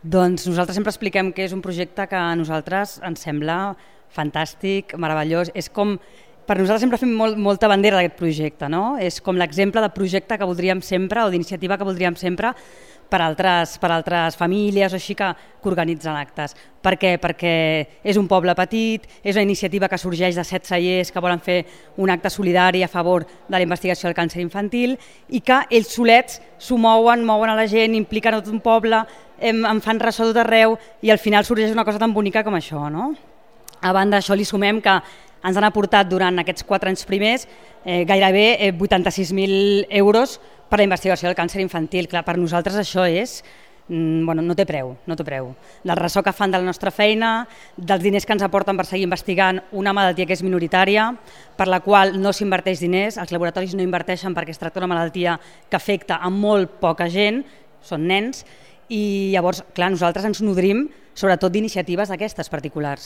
Doncs nosaltres sempre expliquem que és un projecte que a nosaltres ens sembla fantàstic, meravellós. És com, per nosaltres sempre fem molta bandera d'aquest projecte, no? És com l'exemple de projecte que voldríem sempre o d'iniciativa que voldríem sempre per altres famílies o així que organitzen actes. Per què? Perquè és un poble petit, és una iniciativa que sorgeix de 7 cellers que volen fer un acte solidari a favor de la investigació del càncer infantil i que ells solets s'ho mouen a la gent, impliquen a tot un poble, en fan ressò tot arreu i al final sorgeix una cosa tan bonica com això, no? A banda d'això li sumem que ens han aportat durant aquests 4 anys primers gairebé 86.000 euros per a la investigació del càncer infantil. Clar, per nosaltres això és, no té preu, no té preu. Del ressò que fan de la nostra feina, dels diners que ens aporten per seguir investigant una malaltia que és minoritària, per la qual no s'inverteix diners, els laboratoris no inverteixen perquè es tracta d'una malaltia que afecta a molt poca gent, són nens, i llavors, clar, nosaltres ens nodrim sobretot d'iniciatives d'aquestes particulars.